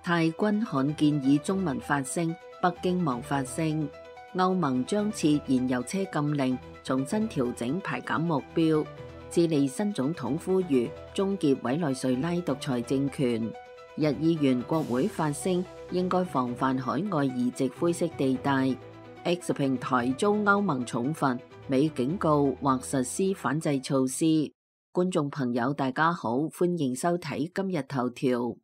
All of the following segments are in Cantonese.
泰軍罕見以中文發聲，北京忙發聲。歐盟將設燃油車禁令，重新調整排減目標。智利新總統呼籲終結委內瑞拉獨裁政權。日議員國會發聲，應該防範海外移植灰色地帶。X 平台遭歐盟重罰，美警告或實施反制措施。觀眾朋友大家好，歡迎收睇今日頭條。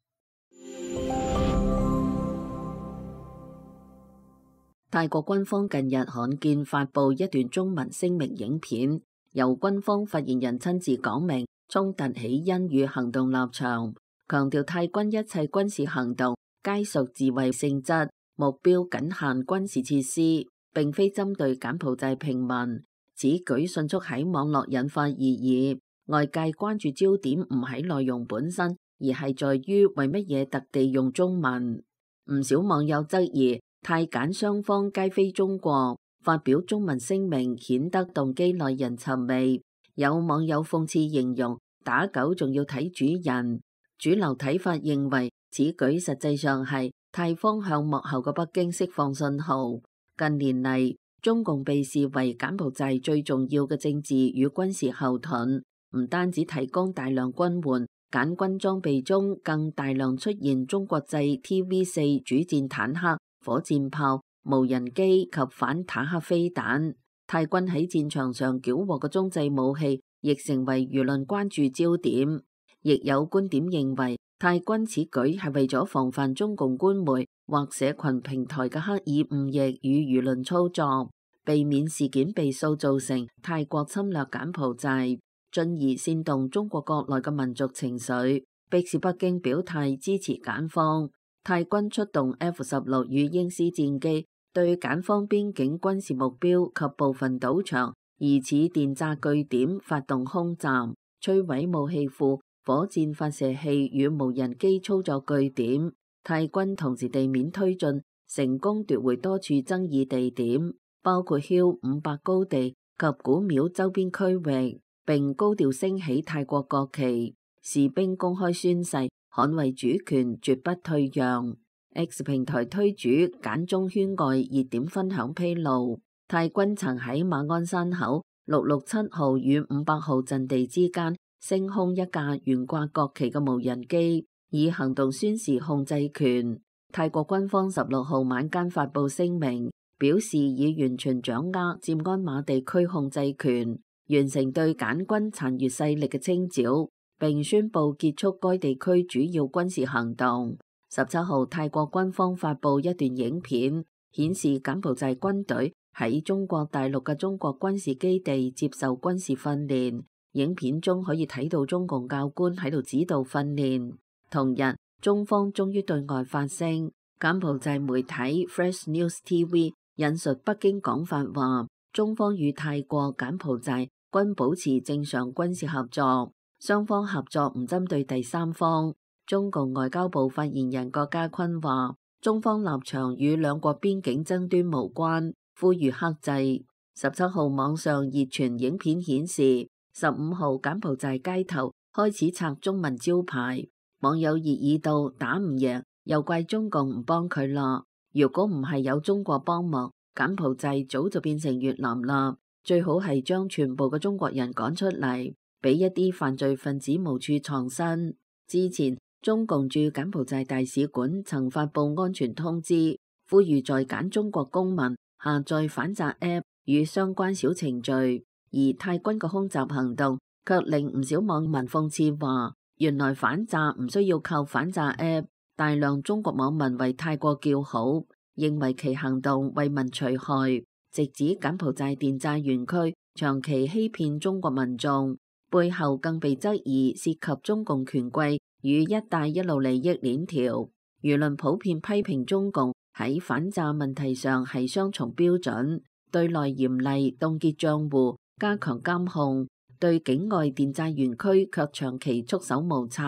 泰國軍方近日罕見發布一段中文聲明影片，由軍方發言人親自講明衝突起因與行動立場，強調泰軍一切軍事行動皆屬自衛性質，目標僅限軍事設施，並非針對柬埔寨平民。此舉迅速喺網絡引發熱議，外界關注焦點唔喺內容本身，而係在於為乜嘢特地用中文。唔少網友質疑泰柬雙方皆非中國，發表中文聲明顯得動機耐人尋味。有網友諷刺形容打狗仲要睇主人。主流睇法認為此舉實際上係泰方向幕後嘅北京釋放信號。近年嚟，中共被視為柬埔寨最重要嘅政治與軍事後盾，唔單止提供大量軍援，柬軍裝備中更大量出現中國製 TV4 主戰坦克、火箭炮、無人機及反坦克飛彈。泰軍喺戰場上繳獲嘅中製武器亦成為輿論關注焦點。亦有觀點認為，泰軍此舉係為咗防範中共官媒或社群平台嘅刻意誤譯與輿論操作，避免事件被塑造成泰國侵略柬埔寨，進而煽動中國國內嘅民族情緒，迫使北京表態支持柬方。泰軍出動 F-16與鷹獅戰機，對柬方邊境軍事目標及部分賭場、疑似電詐據點發動空襲，摧毀武器庫、火箭發射器與無人機操作據點。泰軍同時地面推進，成功奪回多處爭議地點，包括 Hill 500高地及古廟周邊區域，並高調升起泰國國旗。士兵公開宣誓捍衛主權，絕不退讓。X 平台推主簡中圈外熱點分享披露，泰軍曾喺馬鞍山口667號與500號陣地之間升空一架懸掛國旗嘅無人機，以行動宣示控制權。泰國軍方16號晚間發布聲明，表示已完全掌握占鞍馬地區控制權，完成對柬軍殘餘勢力嘅清剿，並宣布結束該地區主要軍事行動。17號，泰國軍方發布一段影片，顯示柬埔寨軍隊喺中國大陸嘅中國軍事基地接受軍事訓練。影片中可以睇到中共教官喺度指導訓練。同日，中方終於對外發聲。柬埔寨媒體 Fresh News TV 引述北京講法話，中方與泰國、柬埔寨均保持正常軍事合作。雙方合作唔針對第三方。中共外交部發言人郭家坤話，中方立場與兩國邊境爭端無關，呼籲克制。17號網上熱傳影片顯示，15號柬埔寨街頭開始拆中文招牌，網友熱議到打唔贏，又怪中共唔幫佢啦。如果唔係有中國幫忙，柬埔寨早就變成越南啦。最好係將全部嘅中國人趕出嚟，俾一啲犯罪分子無處藏身。之前中共駐柬埔寨大使館曾發布安全通知，呼籲在柬中國公民下載反詐 App 與相關小程序，而泰軍嘅空襲行動卻令唔少網民諷刺話，原來反詐唔需要靠反詐 App。大量中國網民為泰國叫好，認為其行動為民除害，直指柬埔寨電詐園區長期欺騙中國民眾，背後更被質疑涉及中共權貴與一帶一路利益鏈條。輿論普遍批評中共喺反詐問題上係雙重標準，對內嚴厲凍結賬戶，加強監控，對境外電詐園區卻長期束手無策。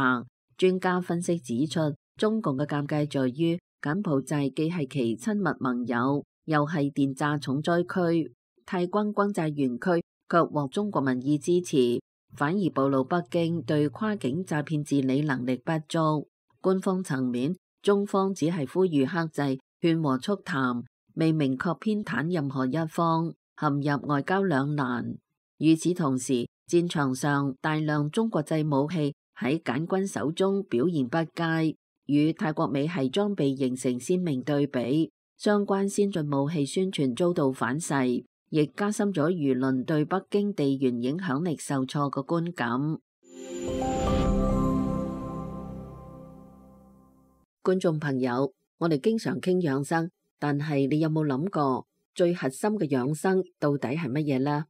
專家分析指出，中共嘅尷尬在於柬埔寨既係其親密盟友，又係電詐重災區，泰軍轟炸園區卻獲中國民意支持，反而暴露北京對跨境詐騙治理能力不足。官方層面，中方只係呼籲克制、勸和促談，未明確偏袒任何一方，陷入外交兩難。與此同時，戰場上大量中國製武器喺柬軍手中表現不佳，與泰國美系裝備形成鮮明對比。相關先進武器宣傳遭到反噬，亦加深咗輿論對北京地緣影響力受挫嘅觀感。觀眾朋友，我哋經常傾養生，但係你有冇諗過最核心嘅養生到底係乜嘢呢？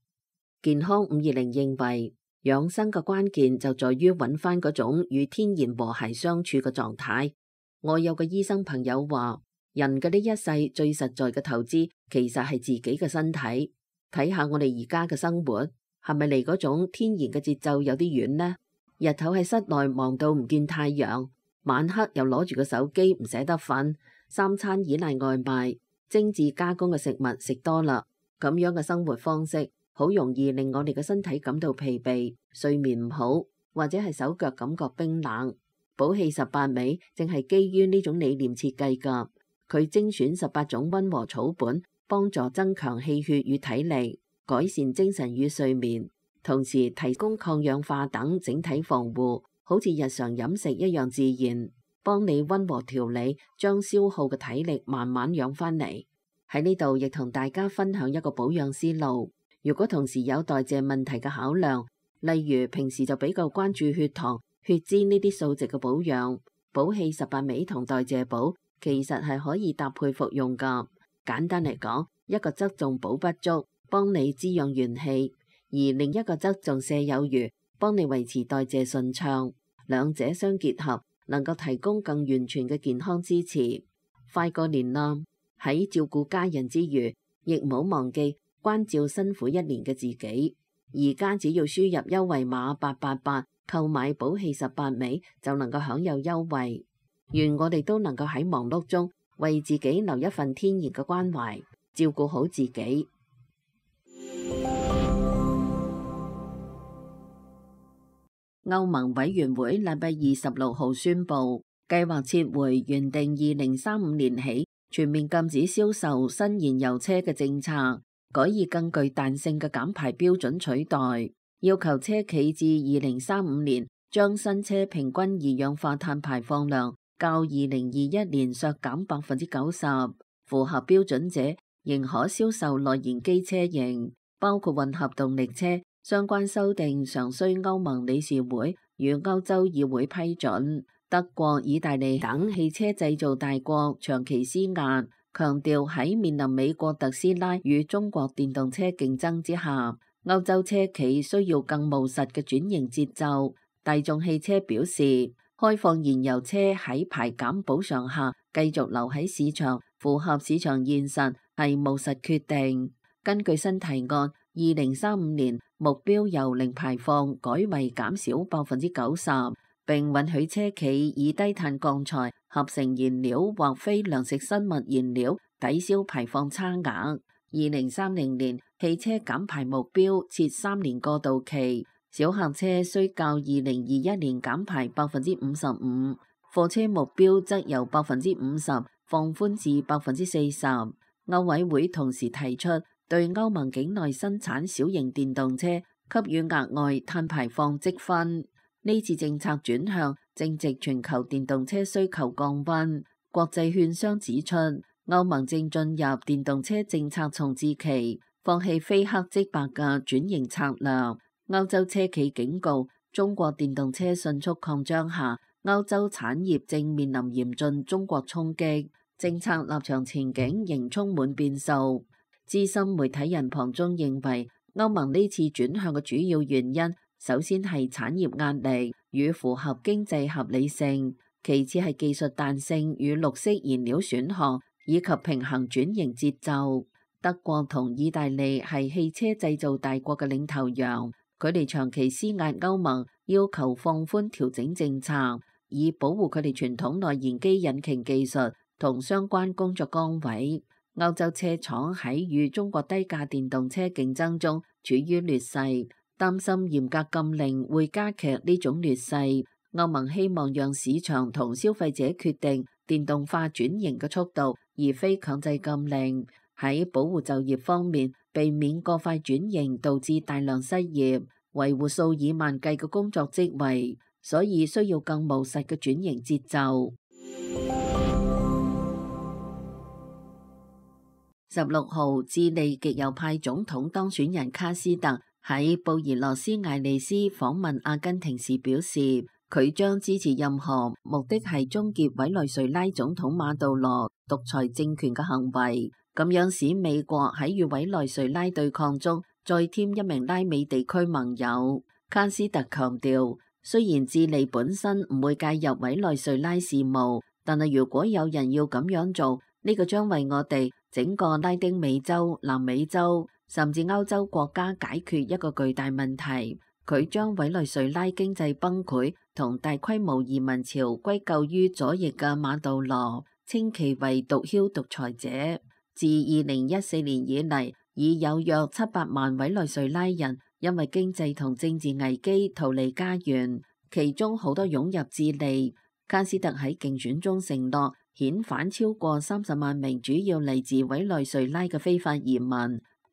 健康520認為，養生嘅關鍵就在於揾翻嗰種與天然和諧相處嘅狀態。我有個醫生朋友話，人嘅呢一世最實在嘅投資，其實係自己嘅身體。睇下我哋而家嘅生活，係咪離嗰種天然嘅節奏有啲遠呢？日頭喺室內忙到唔見太陽，晚黑又攞住個手機唔捨得瞓，三餐依賴外賣，精緻加工嘅食物食多啦，咁樣嘅生活方式好容易令我哋嘅身體感到疲憊，睡眠唔好，或者係手腳感覺冰冷。補氣18味正係基於呢種理念設計㗎。佢精選18種溫和草本，幫助增強氣血與體力，改善精神與睡眠，同時提供抗氧化等整體防護，好似日常飲食一樣自然，幫你溫和調理，將消耗嘅體力慢慢養翻嚟。喺呢度亦同大家分享一個保養思路。如果同時有代謝問題嘅考量，例如平時就比較關注血糖、血脂呢啲數值嘅保養，補氣18味同代謝補其實係可以搭配服用㗎。簡單嚟講，一個側重補不足，幫你滋養元氣；而另一個側重瀉有餘，幫你維持代謝順暢。兩者相結合，能夠提供更完全嘅健康支持。快過年啦，喺照顧家人之餘，亦唔好忘記關照辛苦一年嘅自己。而家只要輸入優惠碼888，購買補氣18味就能夠享有優惠。願我哋都能夠喺忙碌中為自己留一份天然嘅關懷，照顧好自己。歐盟委員會禮拜26號宣布，計劃撤回原定2035年起全面禁止銷售新燃油車嘅政策，改以更具彈性嘅減排標準取代，要求車企至2035年將新車平均二氧化碳排放量較2021年削減90%，符合標準者仍可銷售內燃機車型，包括混合動力車。相關修訂尚需歐盟理事會與歐洲議會批准。德國、意大利等汽車製造大國長期施壓，強調喺面臨美國特斯拉與中國電動車競爭之下，歐洲車企需要更務實嘅轉型節奏。大眾汽車表示，開放燃油車喺排減補償下繼續留喺市場，符合市場現實，係務實決定。根據新提案，2035年目標由零排放改為減少90%，並允許車企以低碳鋼材、合成燃料或非糧食生物燃料抵消排放差額。2030年汽車減排目標設3年過渡期，小客車需較2021年減排55%，貨車目標則由50%放寬至40%。歐委會同時提出，對歐盟境內生產小型電動車給予額外碳排放積分。呢次政策轉向正值全球電動車需求降溫。國際券商指出，歐盟正進入電動車政策重置期，放棄非黑即白嘅轉型策略。歐洲車企警告，中國電動車迅速擴張下，歐洲產業正面臨嚴峻中國衝擊，政策立場前景仍充滿變數。資深媒體人龐中認為，歐盟呢次轉向嘅主要原因，首先係產業壓力與符合經濟合理性，其次係技術彈性與綠色燃料選項，以及平衡轉型節奏。德國同意大利係汽車製造大國嘅領頭羊，佢哋長期施壓歐盟，要求放寬調整政策，以保護佢哋傳統內燃機引擎技術同相關工作崗位。歐洲車廠喺與中國低價電動車競爭中處於劣勢，擔心嚴格禁令會加劇呢種劣勢。歐盟希望讓市場同消費者決定電動化轉型嘅速度，而非強制禁令。喺保護就業方面，避免過快轉型導致大量失業，維護數以萬計嘅工作職位，所以需要更務實嘅轉型節奏。16號，智利極右派總統當選人卡斯特喺布宜諾斯艾利斯訪問阿根廷時表示，佢將支持任何目的係終結委內瑞拉總統馬杜羅獨裁政權嘅行為，咁樣使美國喺與委內瑞拉對抗中再添一名拉美地區盟友。卡斯特強調，雖然智利本身唔會介入委內瑞拉事務，但係如果有人要咁樣做，呢個將為我哋整個拉丁美洲、南美洲甚至歐洲國家解決一個巨大問題。佢將委內瑞拉經濟崩潰同大規模移民潮歸咎於左翼嘅馬杜羅，稱其為毒梟獨裁者。自2014年以嚟，已有約700萬委內瑞拉人因為經濟同政治危機逃離家園，其中好多湧入智利。卡斯特喺競選中承諾遣返超過30萬名主要嚟自委內瑞拉嘅非法移民，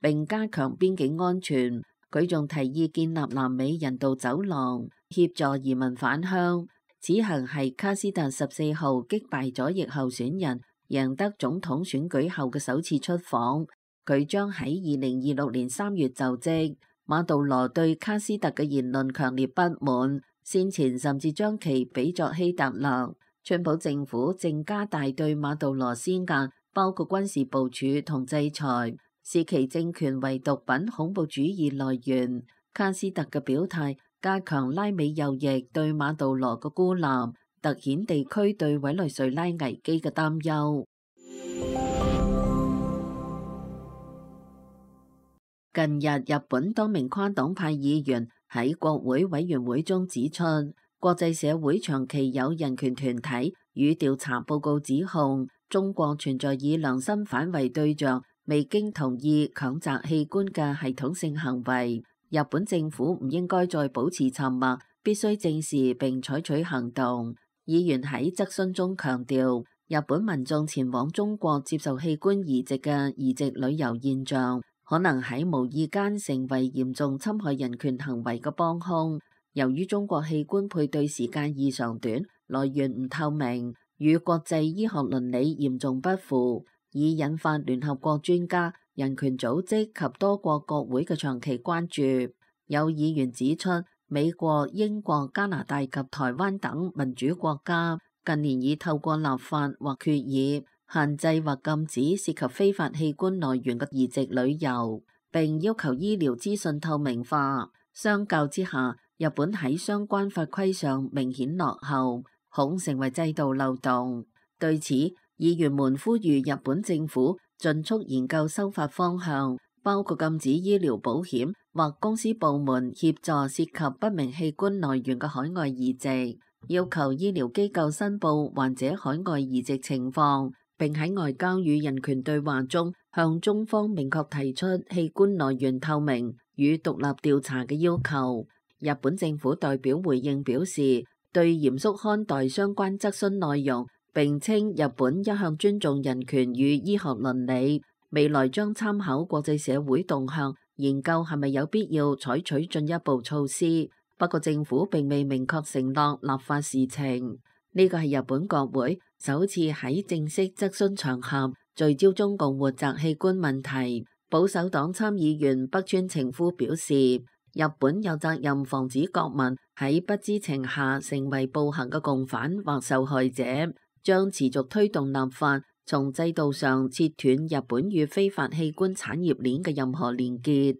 並加強邊境安全。佢仲提議建立南美人道走廊，協助移民返鄉。此行係卡斯特14號擊敗左翼候選人，贏得總統選舉後嘅首次出訪。佢將喺2026年3月就職。馬杜羅對卡斯特嘅言論強烈不滿，先前甚至將其比作希特勒。川普政府正加大對馬杜羅施壓，包括軍事部署同制裁，視其政權為毒品恐怖主義來源。卡斯特嘅表態加強拉美右翼對馬杜羅嘅孤立，凸顯地區對委內瑞拉危機嘅擔憂。近日，日本多名跨黨派議員喺國會委員會中指出，國際社會長期有人權團體與調查報告指控，中國存在以良心犯為對象，未經同意強摘器官嘅系統性行為。日本政府唔應該再保持沉默，必須正視並採取行動。議員喺質詢中強調，日本民眾前往中國接受器官移植嘅移植旅遊現象，可能喺無意間成為嚴重侵害人權行為嘅幫兇。由於中國器官配對時間異常短，來源唔透明，與國際醫學倫理嚴重不符，已引發聯合國專家、人權組織及多國國會嘅長期關注。有議員指出，美國、英國、加拿大及台灣等民主國家近年已透過立法或決議限制或禁止涉及非法器官來源嘅移植旅遊，並要求醫療資訊透明化。相較之下，日本喺相關法規上明顯落後，恐成為制度漏洞。對此，議員們呼籲日本政府盡速研究修法方向，包括禁止醫療保險或公司部門協助涉及不明器官來源嘅海外移植，要求醫療機構申報患者海外移植情況，並喺外交與人權對話中向中方明確提出器官來源透明與獨立調查嘅要求。日本政府代表回應表示，對嚴肅看待相關質詢內容，並稱日本一向尊重人權與醫學倫理，未來將參考國際社會動向，研究係咪有必要採取進一步措施。不過政府並未明確承諾立法事情。呢個係日本國會首次喺正式質詢場合聚焦中共活摘器官問題。保守黨參議員北川晴夫表示，日本有責任防止國民喺不知情下成為暴行嘅共犯或受害者，將持續推動立法，從制度上切斷日本與非法器官產業鏈嘅任何連結。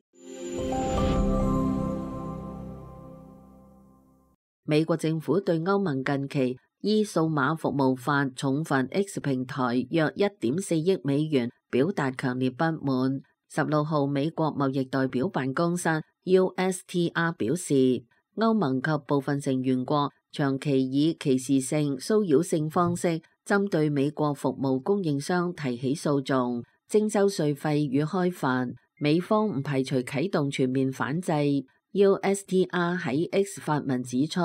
美國政府對歐盟近期依數碼服務法重罰 X 平台約1.4億美元表達強烈不滿。16號，美國貿易代表辦公室 USTR 表示，歐盟及部分成員國長期以歧視性、騷擾性方式針對美國服務供應商提起訴訟，徵收稅費與開罰。美方唔排除啟動全面反制。USTR 喺 X 發文指出，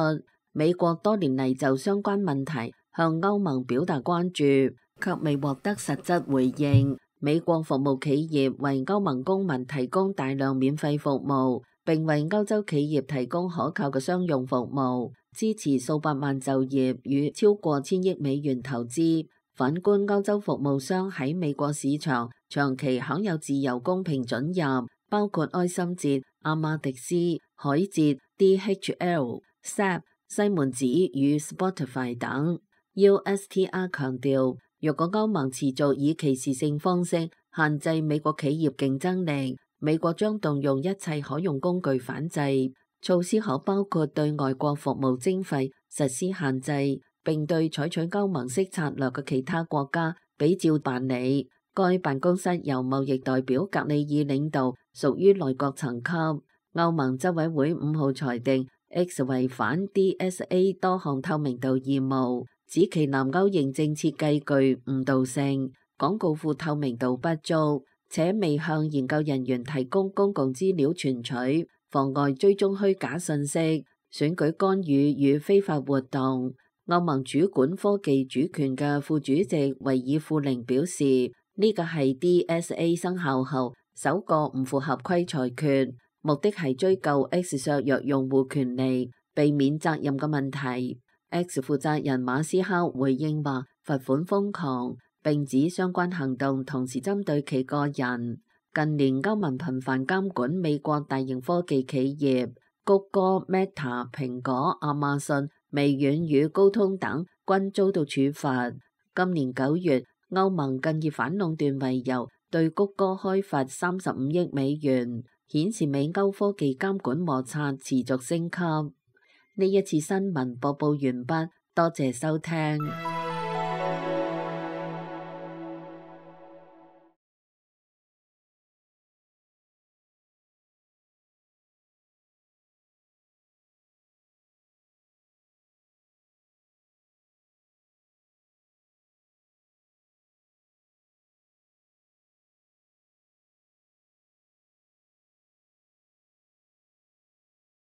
美國多年嚟就相關問題向歐盟表達關注，卻未獲得實質回應。美國服務企業為歐盟公民提供大量免費服務，並為歐洲企業提供可靠嘅商用服務，支持數百萬就業與超過$1000億投資。反觀歐洲服務商喺美國市場長期享有自由公平准入，包括埃森哲、阿馬迪斯、海捷、DHL、SAP、西門子與 Spotify 等。USTR 強調，若果歐盟持續以歧視性方式限制美國企業競爭力，美國將動用一切可用工具反制。措施可包括對外國服務徵費實施限制，並對採取歐盟式策略嘅其他國家比照辦理。該辦公室由貿易代表格里爾領導，屬於內閣層級。歐盟執委會5號裁定 X 違反 DSA 多項透明度義務，指其南歐認證設計具誤導性，廣告庫透明度不足，且未向研究人員提供公共資料存取，妨礙追蹤虛假信息、選舉干預與非法活動。歐盟主管科技主權嘅副主席維爾庫寧表示，呢個係 DSA 生效後首個唔符合規裁決，目的係追究 X 削弱用戶權利、避免責任嘅問題。X 負責人馬斯克回應話，罰款瘋狂，並指相關行動同時針對其個人。近年歐盟頻繁監管美國大型科技企業，谷歌、Meta、蘋果、亞馬遜、微軟與高通等均遭到處罰。今年9月，歐盟更以反壟斷為由，對谷歌開罰$35億，顯示美歐科技監管摩擦持續升級。呢一次新聞播報完畢，多謝收聽。